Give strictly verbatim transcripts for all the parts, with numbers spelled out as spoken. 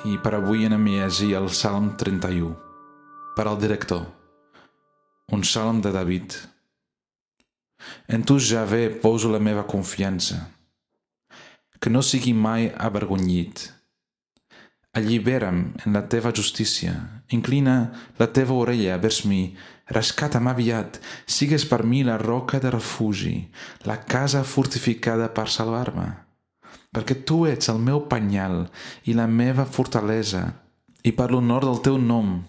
i per avui anem a llegir el Salm trenta-u. Per al director, un salm de David. En tu, Javé, poso la meva confiança. Que no sigui mai avergonyit. Allibera'm en la teva justícia. Inclina la teva orella vers mi. Rescata'm aviat. Sigues per mi la roca de refugi, la casa fortificada per salvar-me. Perquè tu ets el meu penyal i la meva fortalesa, i per l'honor del teu nom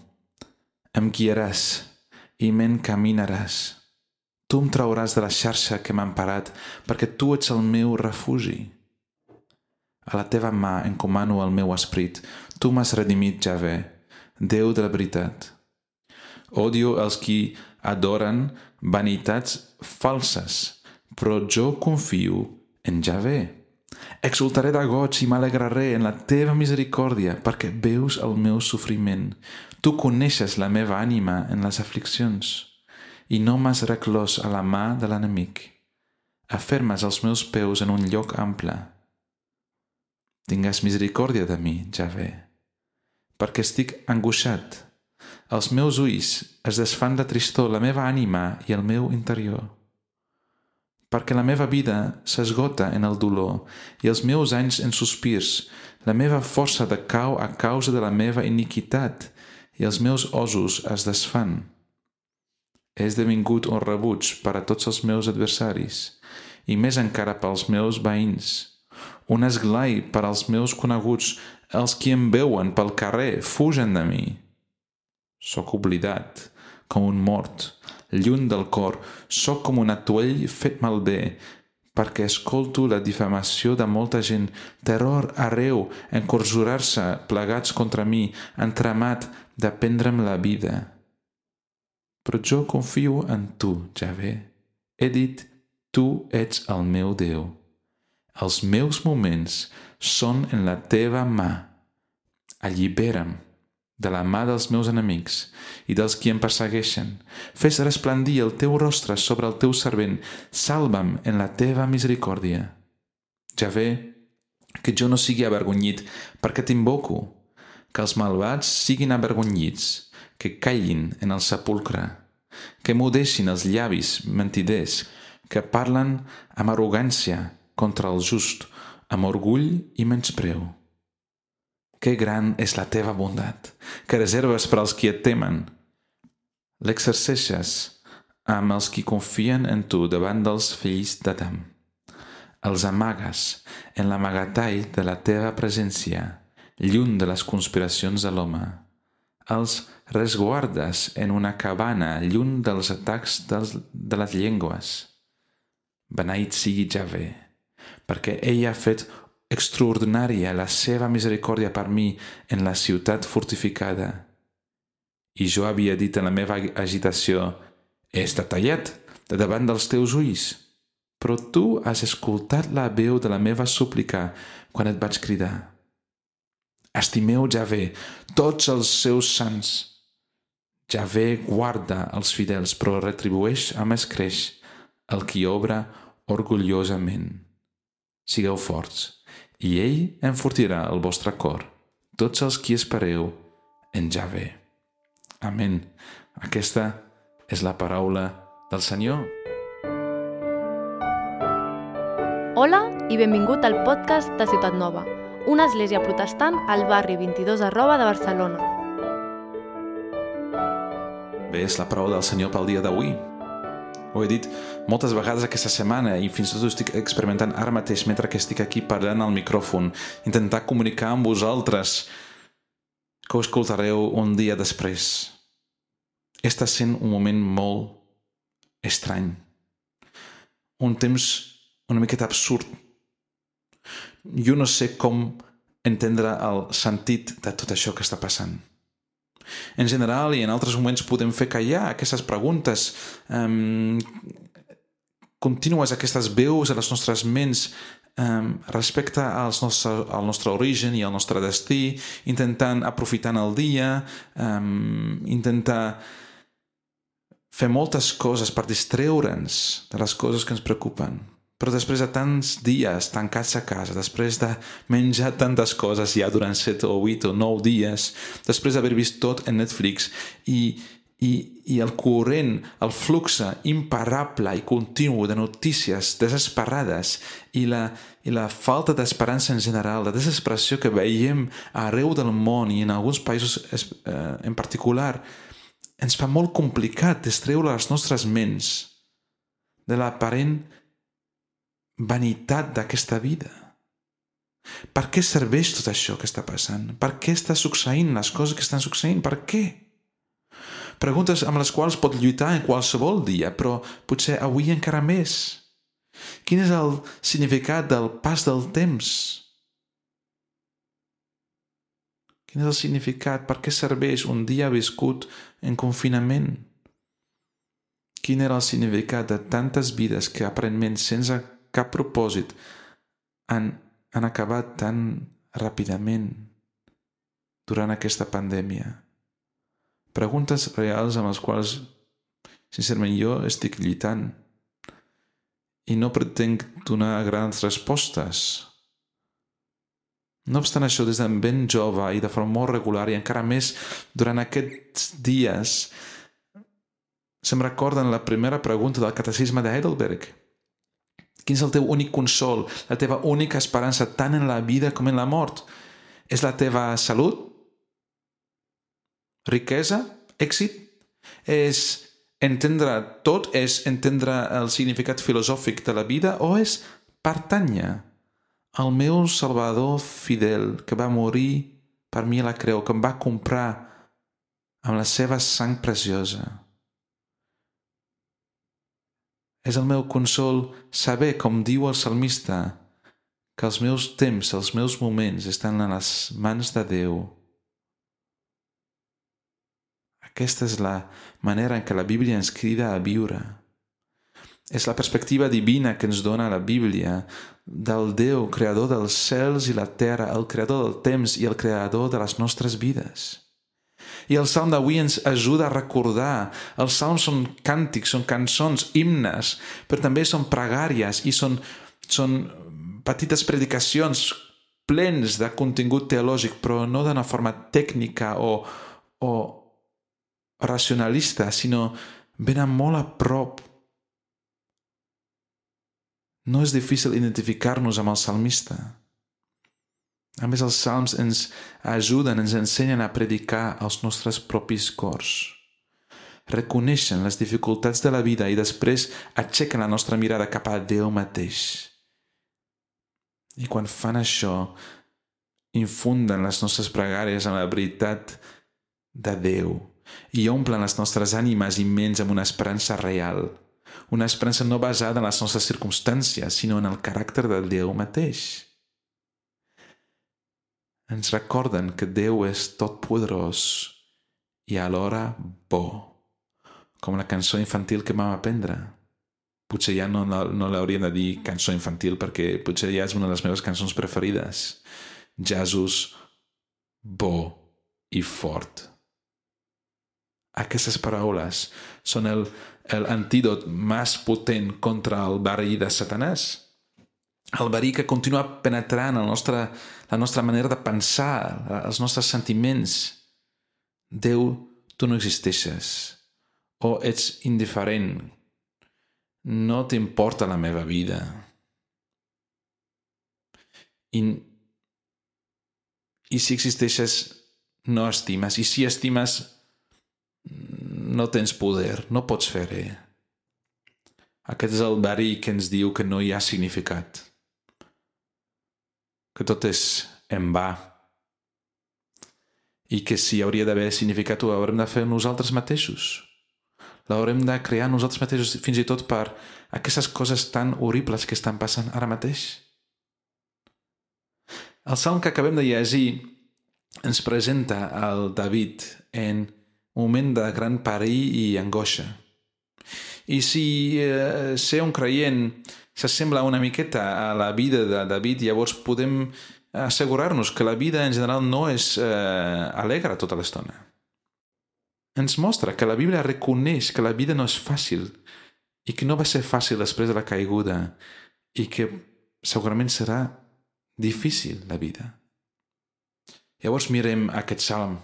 em guiaràs i m'encaminaràs. Tu em trauràs de la xarxa que m'ha emparat, perquè tu ets el meu refugi. A la teva mà encomano el meu esperit. Tu m'has redimit, Javé, Déu de la veritat. Odio els qui adoren vanitats falses, però jo confio en Javé. Exultaré de goig i m'alegraré en la teva misericòrdia, perquè veus el meu sofriment. Tu coneixes la meva ànima en les afliccions, i no m'has reclòs a la mà de l'enemic. Afermes els meus peus en un lloc ample. Tingues misericòrdia de mi, Javé, perquè estic angoixat. Els meus ulls es desfan de tristor, la meva ànima i el meu interior. Perquè la meva vida s'esgota en el dolor i els meus anys en sospirs. La meva força decau a causa de la meva iniquitat i els meus ossos es desfan. He esdevingut un rebuig per a tots els meus adversaris i més encara pels meus veïns. Un esglai per als meus coneguts, els qui em veuen pel carrer fugen de mi. Soc oblidat com un mort, lluny del cor, soc com un atuell fet malbé, perquè escolto la difamació de molta gent, terror arreu, encorjorar-se plegats contra mi, entramat de prendre'm la vida. Però jo confio en tu, Javé. He dit, tu ets el meu Déu. Els meus moments són en la teva mà. Allibera'm de la mà dels meus enemics i dels qui em persegueixen. Fes resplendir el teu rostre sobre el teu servent. Salva'm en la teva misericòrdia. Javé, que jo no sigui avergonyit, perquè t'invoco. Que els malvats siguin avergonyits, que callin en el sepulcre, que mudeixin els llavis mentiders, que parlen amb arrogància contra el just, amb orgull i menyspreu. Que gran és la teva bondat, que reserves per als qui et temen. L'exerceixes amb els qui confien en tu davant dels fills d'Adam. Els amagues en l'amagatall de la teva presència, lluny de les conspiracions de l'home. Els resguardes en una cabana, lluny dels atacs dels, de les llengües. Beneït sigui Javé, perquè ell ha fet extraordinària la seva misericòrdia per mi en la ciutat fortificada. I jo havia dit en la meva agitació, he estat tallat de davant dels teus ulls, però tu has escoltat la veu de la meva súplica quan et vaig cridar. Estimeu Javé, tots els seus sants. Javé guarda els fidels, però retribueix amb escreix el qui obra orgullosament. Sigueu forts, i ell enfortirà el vostre cor, tots els qui espereu en Javé. Amén. Aquesta és la paraula del Senyor. Hola i benvingut al podcast de Ciutat Nova, una església protestant al barri vint-i-dos arroba de Barcelona. Bé, és la paraula del Senyor pel dia d'avui. Ho he dit moltes vegades aquesta setmana i fins i tot ho estic experimentant ara mateix mentre que estic aquí parlant al micròfon, intentar comunicar amb vosaltres que ho escoltareu un dia després. Està sent un moment molt estrany. Un temps una miqueta absurd. Jo no sé com entendre el sentit de tot això que està passant. En general i en altres moments podem fer callar aquestes preguntes um, contínues, aquestes veus a les nostres ments um, respecte als nostre, al nostre origen i al nostre destí, intentant aprofitar el dia, um, intentar fer moltes coses per distreure'ns de les coses que ens preocupen. Però després de tants dies tancats a casa, després de menjar tantes coses ja durant set o vuit o nou dies, després d'haver vist tot en Netflix i, i, i el corrent, el flux imparable i continu de notícies desesperades i la, i la falta d'esperança en general, la desesperació que veiem arreu del món i en alguns països eh, en particular, ens fa molt complicat distreure les nostres ments de l'aparent vanitat d'aquesta vida. Per què serveix tot això que està passant? Per què està succeint les coses que estan succeint? Per què? Preguntes amb les quals pot lluitar en qualsevol dia, però potser avui encara més. Quin és el significat del pas del temps? Quin és el significat? Per què serveix un dia viscut en confinament? Quin era el significat de tantes vides que aparentment sense cap propòsit han, han acabat tan ràpidament durant aquesta pandèmia? Preguntes reals amb les quals, sincerament, jo estic lluitant i no pretenc donar grans respostes. No obstant això, des de ben jove i de forma molt regular i encara més durant aquests dies, se'm recorden la primera pregunta del catecisme de Heidelberg. Quin és el teu únic consol, la teva única esperança tant en la vida com en la mort? És la teva salut? Riquesa? Èxit? És entendre tot? És entendre el significat filosòfic de la vida? O és pertànyer al meu Salvador fidel que va morir per mi a la creu, que em va comprar amb la seva sang preciosa? És el meu consol saber, com diu el salmista, que els meus temps, els meus moments estan a les mans de Déu. Aquesta és la manera en què la Bíblia ens crida a viure. És la perspectiva divina que ens dona la Bíblia del Déu, creador dels cels i la terra, el creador del temps i el creador de les nostres vides. I el salm d'avui ens ajuda a recordar. Els salms són càntics, són cançons, himnes, però també són pregàries i són, són petites predicacions plens de contingut teològic, però no d'una forma tècnica o, o racionalista, sinó venen molt a prop. No és difícil identificar-nos amb el salmista. A més, els salms ens ajuden, ens ensenyen a predicar als nostres propis cors. Reconeixen les dificultats de la vida i després aixequen la nostra mirada cap a Déu mateix. I quan fan això, infunden les nostres pregàries en la veritat de Déu i omplen les nostres ànimes i ments amb una esperança real. Una esperança no basada en les nostres circumstàncies, sinó en el caràcter del Déu mateix. Ens recorden que Déu és totpoderós i alhora bo, com la cançó infantil que vam aprendre. Potser ja no, no l'hauríem de dir cançó infantil perquè potser ja és una de les meves cançons preferides. Jesús, bo i fort. Aquestes paraules són el, el antídot més potent contra el verí de Satanàs. El verí que continua penetrant el nostre, la nostra manera de pensar, els nostres sentiments. Déu, tu no existeixes. O ets indiferent. No t'importa la meva vida. I, i si existeixes, no estimes. I si estimes, no tens poder, no pots fer res. Aquest és el verí que ens diu que no hi ha significat. Que tot és en va. I que si hauria d'haver significat ho haurem de fer nosaltres mateixos. L'haurem de crear nosaltres mateixos, fins i tot per aquestes coses tan horribles que estan passant ara mateix. El salm que acabem de llegir ens presenta el David en un moment de gran perill i angoixa. I si eh, ser un creient s'assembla una miqueta a la vida de David, llavors podem assegurar-nos que la vida en general no és eh, alegre tota l'estona. Ens mostra que la Bíblia reconeix que la vida no és fàcil i que no va ser fàcil després de la caiguda i que segurament serà difícil la vida. Llavors mirem aquest salm.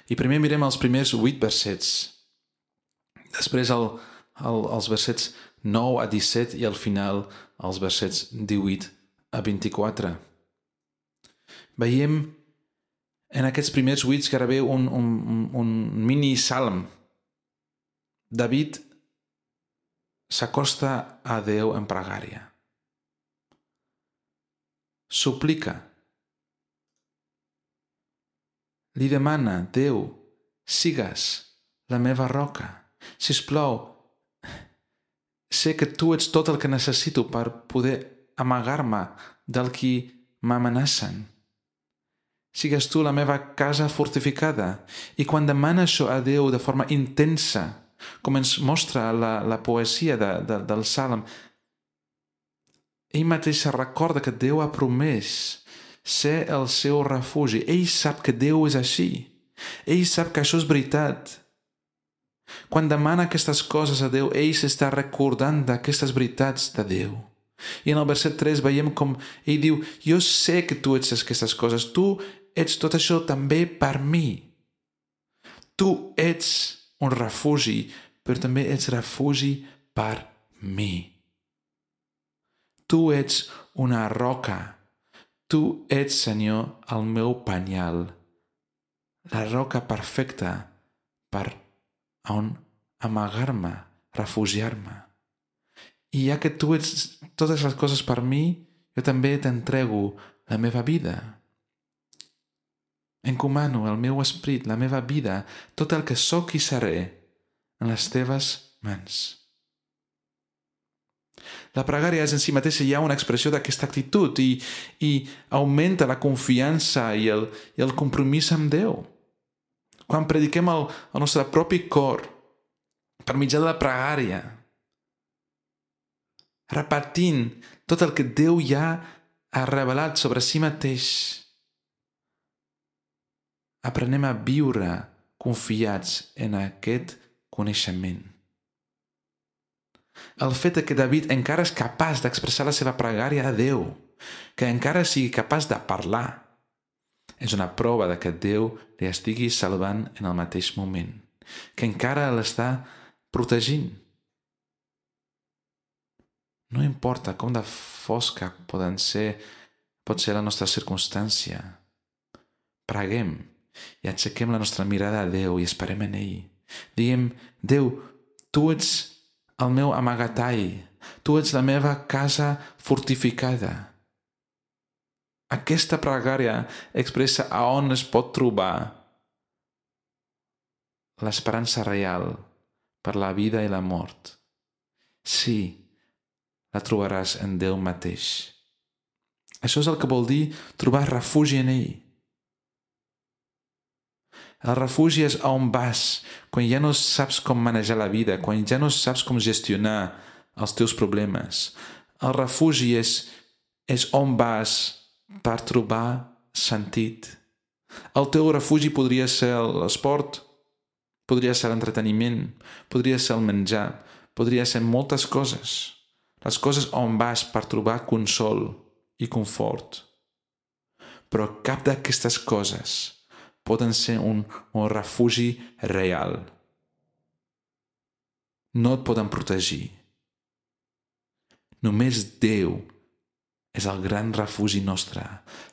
I primer mirem els primers vuit versets. Després el, el, els versets nou a disset i al final els versets divuit a vint-i-quatre. Veiem en aquests primers vuit gairebé un, un, un mini salm. David s'acosta a Déu en pregària. Suplica. Li demana, Déu, sigues la meva roca. Sisplau, sé que tu ets tot el que necessito per poder amagar-me del qui m'amenacen. Sigues tu la meva casa fortificada. I quan demana això a Déu de forma intensa, com ens mostra la, la poesia de, de, del Salm, ell mateix se recorda que Déu ha promès ser el seu refugi. Ell sap que Déu és així. Ell sap que això és veritat. Quan demana aquestes coses a Déu, ell s'està recordant d'aquestes veritats de Déu. I en el verset tres veiem com ell diu, jo sé que tu ets aquestes coses, tu ets tot això també per mi. Tu ets un refugi, però també ets refugi per mi. Tu ets una roca. Tu ets, Senyor, el meu penyal, la roca perfecta per on amagar-me, refugiar-me. I ja que tu ets totes les coses per mi, jo també t'entrego la meva vida. Encomano el meu esperit, la meva vida, tot el que sóc i seré, en les teves mans. La pregària és en si mateixa ja una expressió d'aquesta actitud i, i augmenta la confiança i el, i el compromís amb Déu. Quan prediquem el, el nostre propi cor per mitjà de la pregària, repetint tot el que Déu ja ha revelat sobre si mateix, aprenem a viure confiats en aquest coneixement. El fet que David encara és capaç d'expressar la seva pregària a Déu, que encara sigui capaç de parlar, és una prova de que Déu li estigui salvant en el mateix moment, que encara l'està protegint. No importa com de fosca poden ser, pot ser la nostra circumstància. Preguem i aixequem la nostra mirada a Déu i esperem en ell. Diguem, Déu, tu ets el meu amagatall, tu ets la meva casa fortificada. Aquesta pregària expressa a on es pot trobar l'esperança real per la vida i la mort. Sí, la trobaràs en Déu mateix. Això és el que vol dir trobar refugi en ell. El refugi és on vas quan ja no saps com manejar la vida, quan ja no saps com gestionar els teus problemes. El refugi és, és on vas per trobar sentit. El teu refugi podria ser l'esport, podria ser l'entreteniment, podria ser el menjar, podria ser moltes coses. Les coses on vas per trobar consol i confort. Però cap d'aquestes coses poden ser un, un refugi real. No et poden protegir. Només Déu és el gran refugi nostre,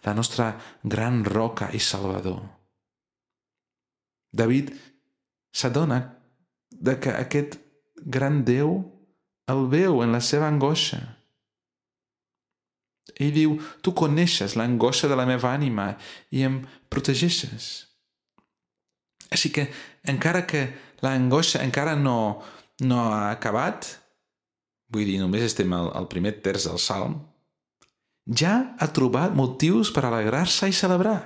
la nostra gran roca i salvador. David s'adona de que aquest gran Déu el veu en la seva angoixa. Ell diu, tu coneixes l'angoixa de la meva ànima i em protegeixes. Així que, encara que l'angoixa encara no, no ha acabat, vull dir, només estem al, al primer terç del Salm, ja ha trobat motius per alegrar-se i celebrar.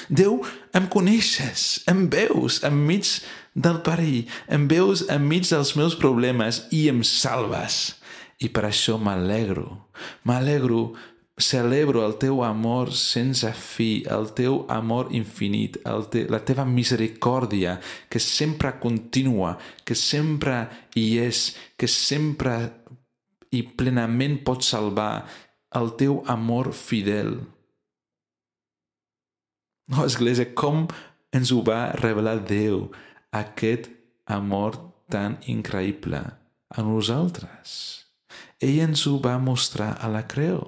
Déu, em coneixes, em veus enmig del perill, em veus enmig dels meus problemes i em salves. I per això m'alegro, m'alegro, celebro el teu amor sense fi, el teu amor infinit, el te, la teva misericòrdia que sempre continua, que sempre hi és, que sempre i plenament pot salvar el teu amor fidel. No, Església, com ens ho va revelar Déu, aquest amor tan increïble a nosaltres. Ell ens ho va mostrar a la creu.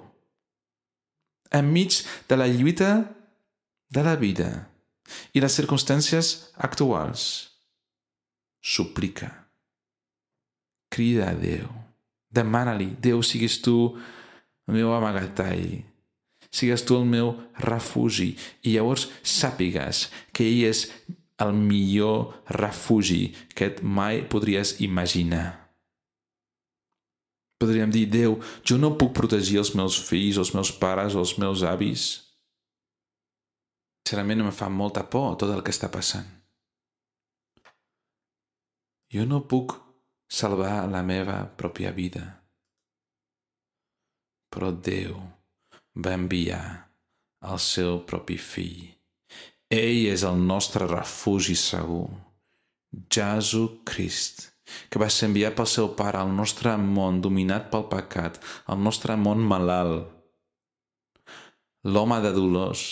Enmig de la lluita de la vida i les circumstàncies actuals, suplica, crida a Déu, demana-li: Déu, siguis tu el meu amagatall, sigues tu el meu refugi, i llavors sàpigues que ell és el millor refugi que et mai podries imaginar. Podríem dir: Déu, jo no puc protegir els meus fills, els meus pares o els meus avis. Sincerament em fa molta por tot el que està passant. Jo no puc salvar la meva pròpia vida. Però Déu va enviar el seu propi fill. Ell és el nostre refugi segur. Jesucrist, que va ser enviat pel seu Pare al nostre món dominat pel pecat, al nostre món malalt. L'home de dolors,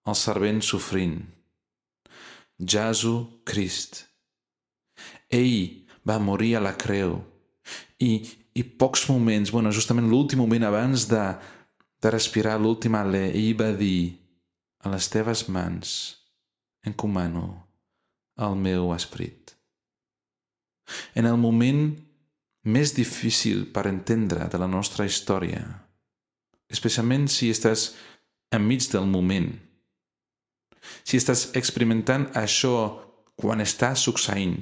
el servent sofrint. Jesucrist. Ell va morir a la creu i, i pocs moments, bueno, justament l'últim moment abans de, de respirar l'últim alè, ell va dir: a les teves mans encomano el meu esperit. En el moment més difícil per entendre de la nostra història, especialment si estàs enmig del moment, si estàs experimentant això quan està succeint,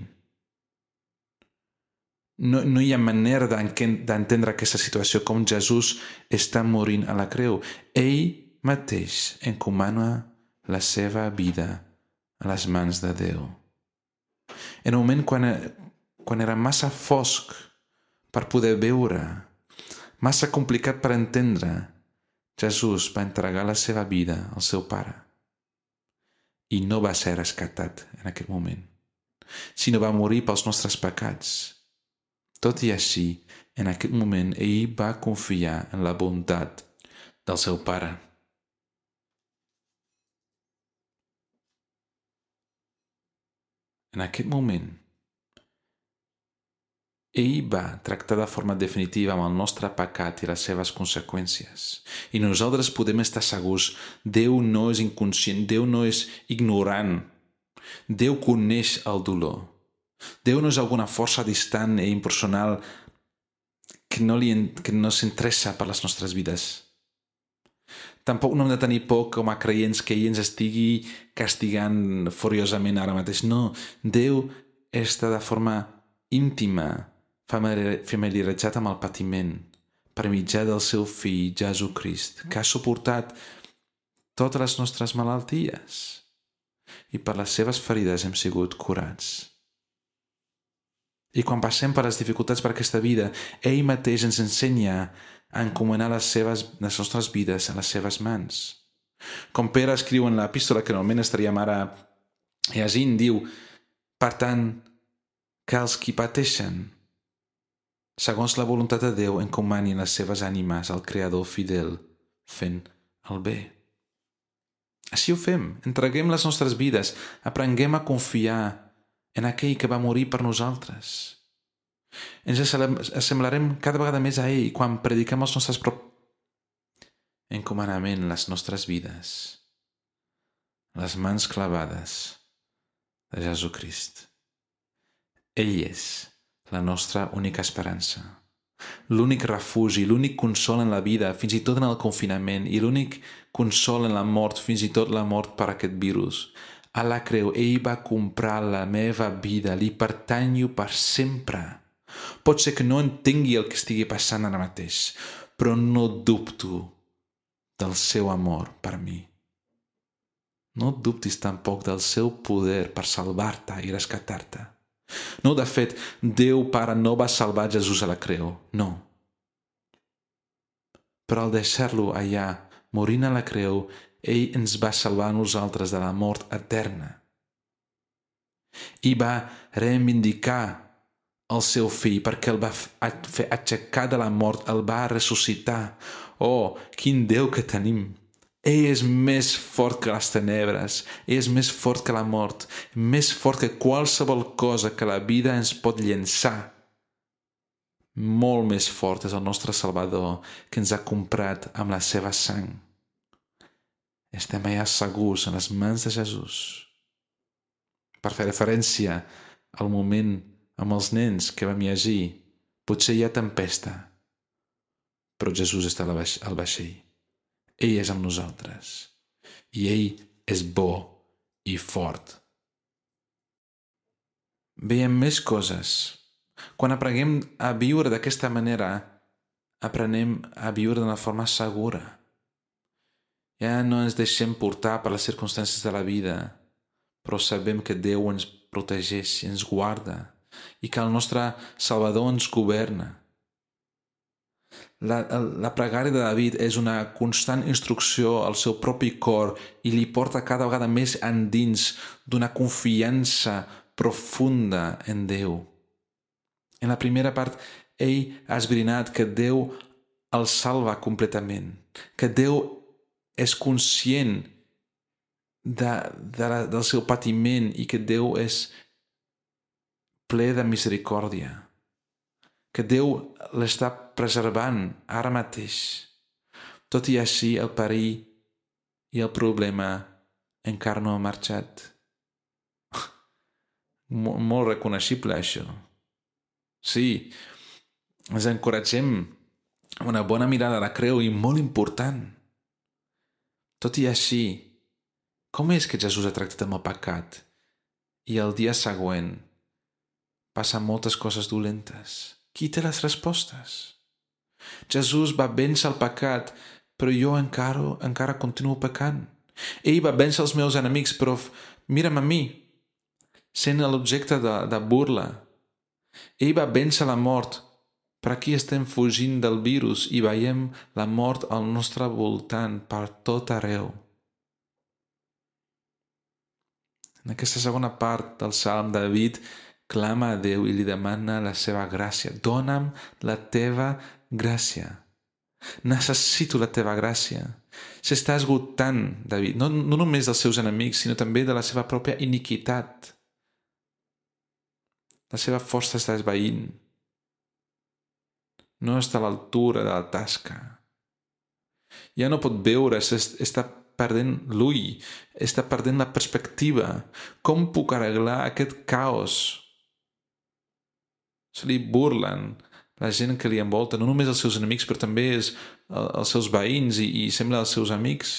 no, no hi ha manera d'entendre aquesta situació com Jesús està morint a la creu. Ell mateix encomana la seva vida a les mans de Déu. En un moment quan, quan era massa fosc per poder veure, massa complicat per entendre, Jesús va entregar la seva vida al seu Pare. I no va ser rescatat en aquell moment, sinó va morir pels nostres pecats. Tot i així, en aquest moment, ell va confiar en la bondat del seu Pare. En aquest moment, ell va tractar de forma definitiva amb el nostre pecat i les seves conseqüències. I nosaltres podem estar segurs: Déu no és inconscient, Déu no és ignorant. Déu coneix el dolor. Déu no és alguna força distant i impersonal que no, li, que no s'interessa per les nostres vides. Tampoc no hem de tenir por com a creients que ell ens estigui castigant furiosament ara mateix. No, Déu està de forma íntima familiaritzat amb el patiment per mitjà del seu fill Jesucrist, que ha suportat totes les nostres malalties i per les seves ferides hem sigut curats. I quan passem per les dificultats per aquesta vida, ell mateix ens ensenya a encomanar les, seves, les nostres vides a les seves mans. Com Pere escriu en l'epístola que normalment estaríem ara llegint, diu: per tant, que els qui pateixen, segons la voluntat de Déu, encomanin les seves ànimes al Creador fidel, fent el bé. Així ho fem, entreguem les nostres vides, aprenguem a confiar en aquell que va morir per nosaltres. Ens assemblarem cada vegada més a ell quan prediquem els nostres propis encomanament, les nostres vides, les mans clavades de Jesucrist. Ell és la nostra única esperança, l'únic refugi, l'únic consol en la vida, fins i tot en el confinament, i l'únic consol en la mort, fins i tot la mort per aquest virus. A la creu, ell va comprar la meva vida, li pertanyo per sempre. Pot ser que no entengui el que estigui passant ara mateix, però no dubto del seu amor per mi. No dubtis tampoc del seu poder per salvar-te i rescatar-te. No, de fet, Déu Pare no va salvar Jesús a la creu, no. Però al deixar-lo allà, morint a la creu, ell ens va salvar a nosaltres de la mort eterna. I va reivindicar el seu fill, perquè el va fer aixecar de la mort, el va ressuscitar. Oh, quin Déu que tenim! Ell és més fort que les tenebres, ell és més fort que la mort, més fort que qualsevol cosa que la vida ens pot llençar. Molt més fort és el nostre Salvador, que ens ha comprat amb la seva sang. Estem allà segurs en les mans de Jesús. Per fer referència al moment amb els nens que vam llegir, potser hi ha tempesta, però Jesús està al vaixell. Ell és amb nosaltres i ell és bo i fort. Veiem més coses. Quan aprenem a viure d'aquesta manera, aprenem a viure d'una forma segura. Ja no ens deixem portar per les circumstàncies de la vida, però sabem que Déu ens protegeix i ens guarda i que el nostre Salvador ens governa. La, la pregària de David és una constant instrucció al seu propi cor i li porta cada vegada més endins d'una confiança profunda en Déu. En la primera part, ell ha esbrinat que Déu el salva completament, que Déu és conscient de, de la, del seu patiment i que Déu és ple de misericòrdia, que Déu l'està preservant ara mateix. Tot i així, el perill i el problema encara no ha marxat. Molt, molt reconeixible, això. Sí, ens encoratgem amb una bona mirada a la creu i molt important. Tot i així, com és que Jesús ha tractat amb el pecat i el dia següent passen moltes coses dolentes? Qui té les respostes? Jesús va vèncer el pecat, però jo encara, encara continuo pecant. Ell va vèncer els meus enemics, però mira'm a mi, sent l'objecte de, de burla. Ell va vèncer la mort, però aquí estem fugint del virus i veiem la mort al nostre voltant per tot arreu. En aquesta segona part del Salm, David clama a Déu i li demana la seva gràcia. Dóna'm la teva gràcia. Necessito la teva gràcia. S'està esgotant, David, no, no només dels seus enemics, sinó també de la seva pròpia iniquitat. La seva força està esvaint. No està a l'altura de la tasca. Ja no pot veure, està perdent l'ull, està perdent la perspectiva. Com puc arreglar aquest caos? Se li burlen la gent que li envolta, no només els seus enemics, però també els, els seus veïns i, i sembla els seus amics.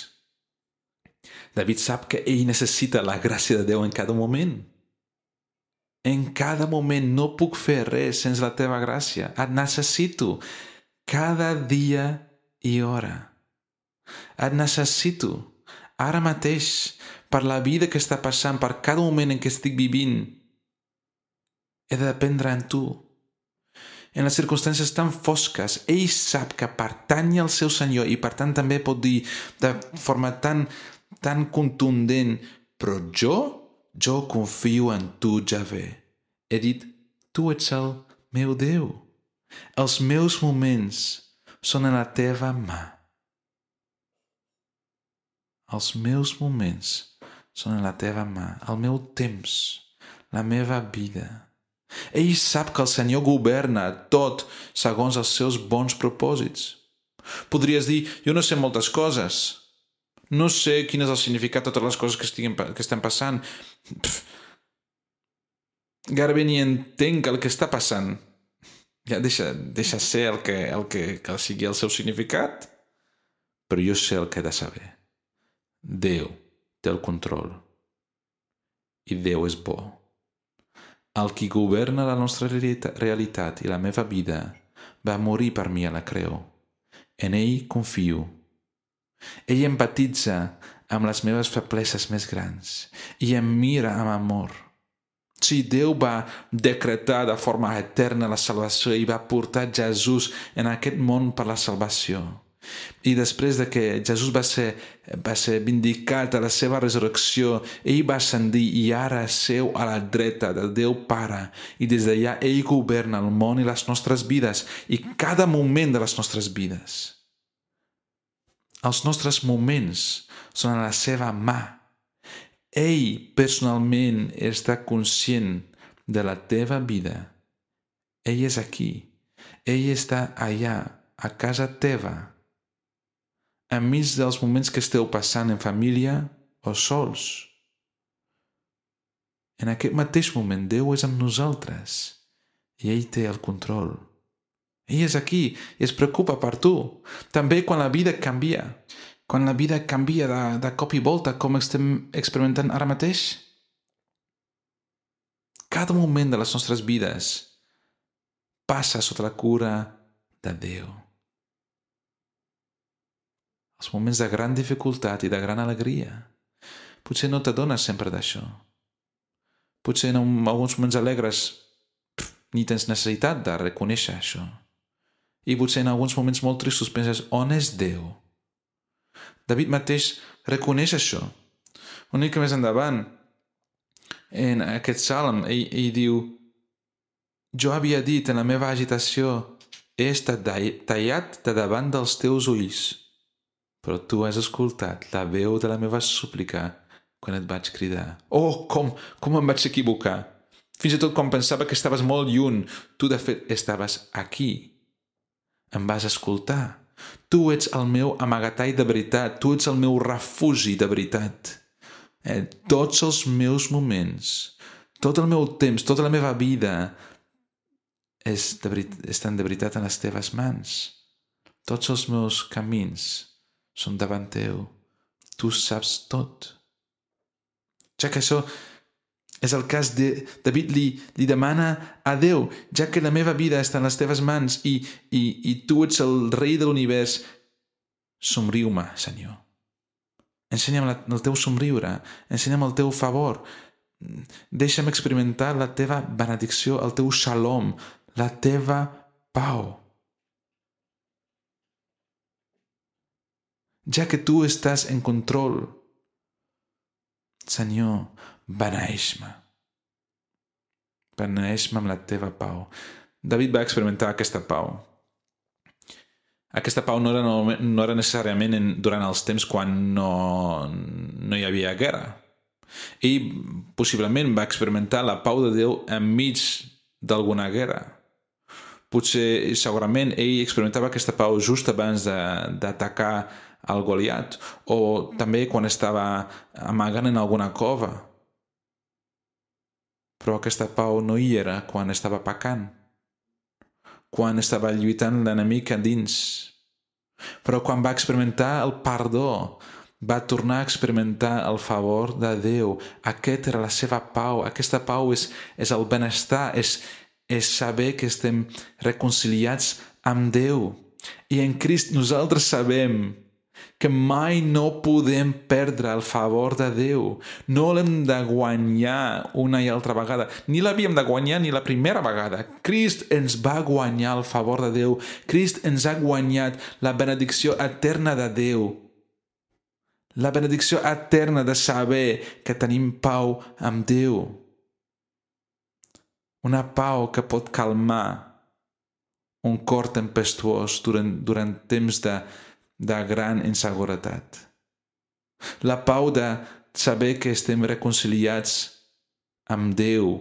David sap que ell necessita la gràcia de Déu en cada moment. En cada moment no puc fer res sense la teva gràcia. Et necessito cada dia i hora. Et necessito ara mateix per la vida que està passant, per cada moment en què estic vivint. He de dependre en tu. En les circumstàncies tan fosques, ell sap que pertany al seu Senyor i per tant també pot dir de forma tan, tan contundent, però jo, jo confio en tu, Javé. He dit, tu ets el meu Déu. Els meus moments són en la teva mà. Els meus moments són en la teva mà. El meu temps, la meva vida. Ell sap que el Senyor governa tot segons els seus bons propòsits. Podries dir, jo no sé moltes coses. No sé quin és el significat de totes les coses que, estiguin, que estan passant. Pff, gairebé ni entenc el que està passant. Ja deixa, deixa ser el que, el que, que sigui el seu significat. Però jo sé el que he de saber. Déu té el control. I Déu és bo. El qui governa la nostra realitat i la meva vida va morir per mi a la creu. En ell confio. Ell empatitza amb les meves febleses més grans i em mira amb amor. Si Déu va decretar de forma eterna la salvació i va portar Jesús en aquest món per la salvació, I després de que Jesús va ser, va ser vindicat a la seva resurrecció, ell va ascendir i ara seu a la dreta del Déu Pare. I des d'allà ell governa el món i les nostres vides i cada moment de les nostres vides. Els nostres moments són a la seva mà. Ell personalment està conscient de la teva vida. Ell és aquí. Ell està allà, a casa teva. Enmig dels moments que esteu passant en família o sols. En aquest mateix moment, Déu és amb nosaltres i ell té el control. Ell és aquí i es preocupa per tu. També quan la vida canvia. Quan la vida canvia de, de cop i volta, com estem experimentant ara mateix. Cada moment de les nostres vides passa sota la cura de Déu. Els moments de gran dificultat i de gran alegria. Potser no t'adones sempre d'això. Potser en alguns moments alegres pff, ni tens necessitat de reconèixer això. I potser en alguns moments molt tristos penses, on és Déu? David mateix reconeix això. Una mica més endavant, en aquest salm, ell, ell diu, jo havia dit en la meva agitació, he estat tallat de davant dels teus ulls, però tu has escoltat la veu de la meva súplica quan et vaig cridar. Oh, com, com em vaig equivocar! Fins i tot quan pensava que estaves molt lluny, tu de fet estaves aquí. Em vas escoltar. Tu ets el meu amagatall de veritat, tu ets el meu refugi de veritat. Eh, tots els meus moments, tot el meu temps, tota la meva vida és de verit- estan de veritat en les teves mans. Tots els meus camins són davant teu. Tu saps tot. Ja que això és el cas de David li, li demana a Déu, ja que la meva vida està en les teves mans i, i, i tu ets el rei de l'univers, somriu-me, Senyor. Ensenya'm la, el teu somriure, ensenya'm el teu favor, deixa'm experimentar la teva benedicció, el teu shalom, la teva pau. Ja que tu estàs en control, Senyor, beneeix-me. Beneeix-me amb la teva pau. David va experimentar aquesta pau. Aquesta pau no era, no era necessàriament en, durant els temps quan no, no hi havia guerra. Ell possiblement va experimentar la pau de Déu enmig d'alguna guerra. Potser, segurament, ell experimentava aquesta pau just abans d'atacar al Goliat, o també quan estava amagant en alguna cova. Però aquesta pau no hi era quan estava pecant, quan estava lluitant l'enemic a dins. Però quan va experimentar el perdó, va tornar a experimentar el favor de Déu. Aquesta era la seva pau. Aquesta pau és, és el benestar, és, és saber que estem reconciliats amb Déu. I en Crist nosaltres sabem que mai no podem perdre el favor de Déu. No l'hem de guanyar una i altra vegada. Ni l'havíem de guanyar ni la primera vegada. Crist ens va guanyar el favor de Déu. Crist ens ha guanyat la benedicció eterna de Déu. La benedicció eterna de saber que tenim pau amb Déu. Una pau que pot calmar un cor tempestuós durant, durant temps de de gran inseguretat. La pau de saber que estem reconciliats amb Déu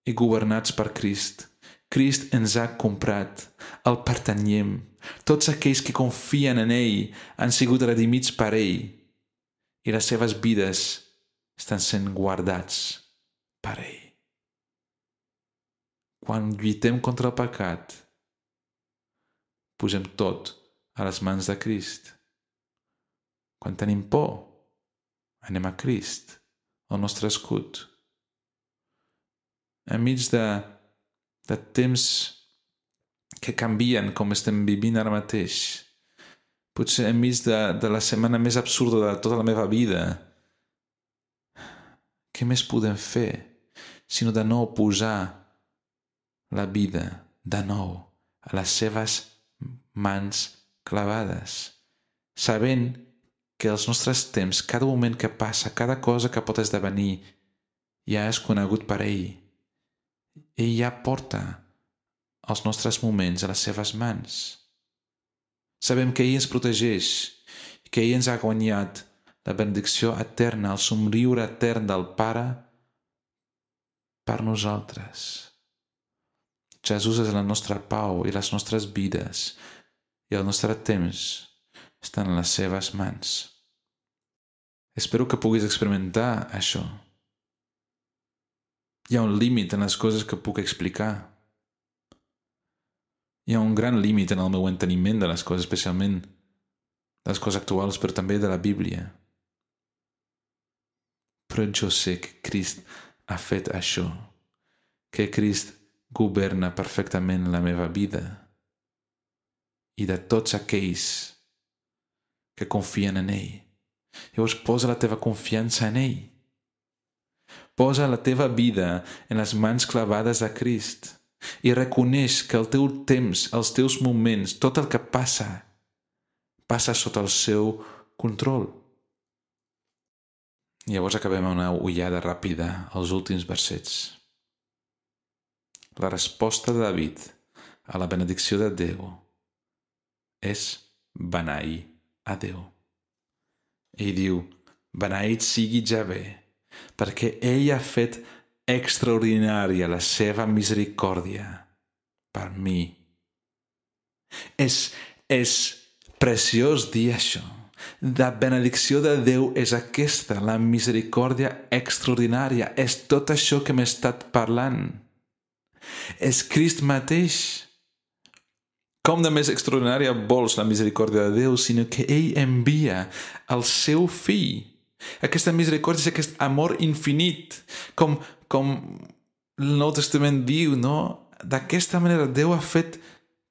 i governats per Crist. Crist ens ha comprat, el pertanyem. Tots aquells que confien en ell han sigut redimits per ell i les seves vides estan sent guardats per ell. Quan lluitem contra el pecat, posem tot a les mans de Crist. Quan tenim por, anem a Crist, el nostre escut. Enmig de, de temps que canvien com estem vivint ara mateix, potser enmig de, de la setmana més absurda de tota la meva vida, què més podem fer sinó de nou posar la vida de nou a les seves mans clavades, sabent que els nostres temps, cada moment que passa, cada cosa que pot esdevenir, ja és conegut per ell. Ell ja porta els nostres moments a les seves mans. Sabem que ell ens protegeix, que ell ens ha guanyat la benedicció eterna, el somriure etern del Pare per nosaltres. Jesús és la nostra pau i les nostres vides i el nostre temps estan en les seves mans. Espero que puguis experimentar això. Hi ha un límit en les coses que puc explicar. Hi ha un gran límit en el meu enteniment de les coses, especialment de les coses actuals, però també de la Bíblia. Però jo sé que Crist ha fet això, que Crist governa perfectament la meva vida i de tots aquells que confien en ell. Llavors posa la teva confiança en ell. Posa la teva vida en les mans clavades de Crist i reconeix que el teu temps, els teus moments, tot el que passa, passa sota el seu control. Llavors acabem amb una ullada ràpida als últims versets. La resposta de David a la benedicció de Déu és beneir a Déu. Ell diu, beneït sigui Javé, perquè ell ha fet extraordinària la seva misericòrdia per mi. És, és preciós dir això. La benedicció de Déu és aquesta, la misericòrdia extraordinària. És tot això que m'he estat parlant. És Crist mateix. Com de més extraordinària vols la misericòrdia de Déu, sinó que ell envia el seu fill. Aquesta misericòrdia és aquest amor infinit, com, com el Nou Testament diu, no? D'aquesta manera Déu ha fet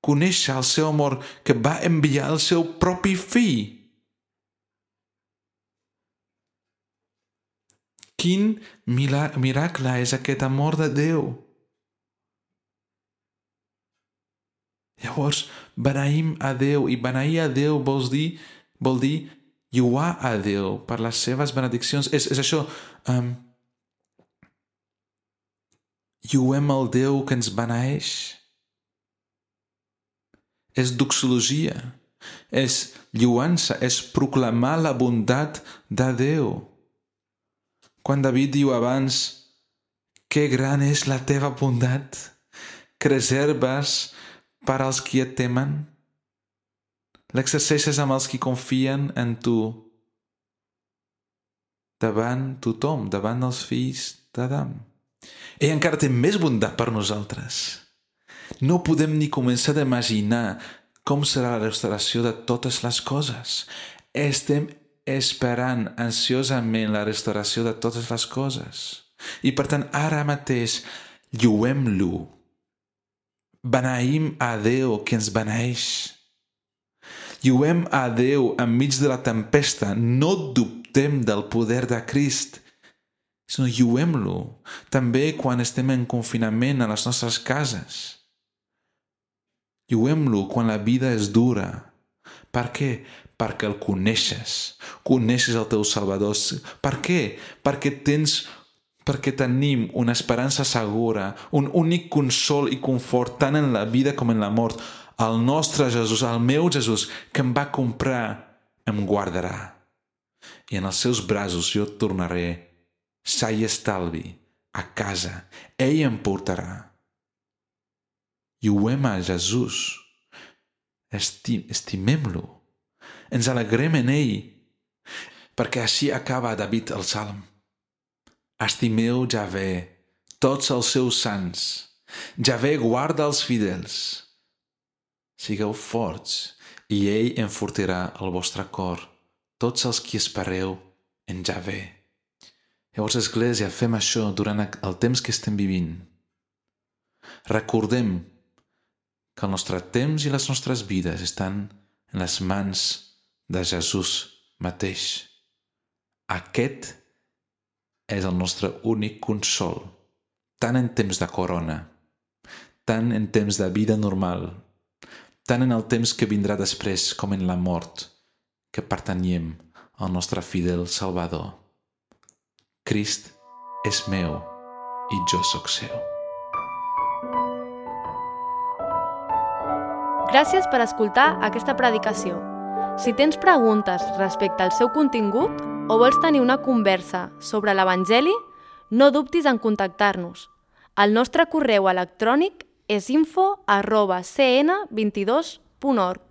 conèixer el seu amor, que va enviar el seu propi fill. Quin miracle és aquest amor de Déu! Llavors, beneïm a Déu, i beneir a Déu vol dir, vol dir lluar a Déu per les seves benediccions. És, és això, um, lluem el Déu que ens beneeix. És doxologia, és lluança, és proclamar la bondat de Déu. Quan David diu abans, que gran és la teva bondat, que reserves per als qui et temen, l'exerceixes amb els qui confien en tu, davant tothom, davant els fills d'Adam. Ell encara té més bondat per nosaltres. No podem ni començar a imaginar com serà la restauració de totes les coses. Estem esperant ansiosament la restauració de totes les coses. I per tant, ara mateix, lluem-lo. Beneïm a Déu que ens beneeix. Lluem a Déu enmig de la tempesta. No dubtem del poder de Crist, sinó lluem-lo també quan estem en confinament a les nostres cases. Lluem-lo quan la vida és dura. Per què? Perquè el coneixes. Coneixes el teu Salvador. Per què? Perquè tens perquè tenim una esperança segura, un únic consol i confort tant en la vida com en la mort. El nostre Jesús, el meu Jesús, que em va comprar, em guardarà. I en els seus braços jo tornaré, sa i estalvi, a casa. Ell em portarà. Lluem a Jesús. Estim, estimem-lo. Ens alegrem en ell. Perquè així acaba David el Salm. Estimeu Javé, tots els seus sants. Javé guarda els fidels. Sigueu forts, i ell enfortirà el vostre cor, tots els qui espereu en Javé. Llavors, Església, fem això durant el temps que estem vivint. Recordem que el nostre temps i les nostres vides estan en les mans de Jesús mateix. Aquest és el nostre únic consol, tant en temps de corona, tant en temps de vida normal, tant en el temps que vindrà després com en la mort, que pertanyem al nostre fidel Salvador. Crist és meu i jo sóc seu. Gràcies per escoltar aquesta predicació. Si tens preguntes respecte al seu contingut o vols tenir una conversa sobre l'Evangeli, no dubtis en contactar-nos. El nostre correu electrònic és info arroba c n vint dos punt org.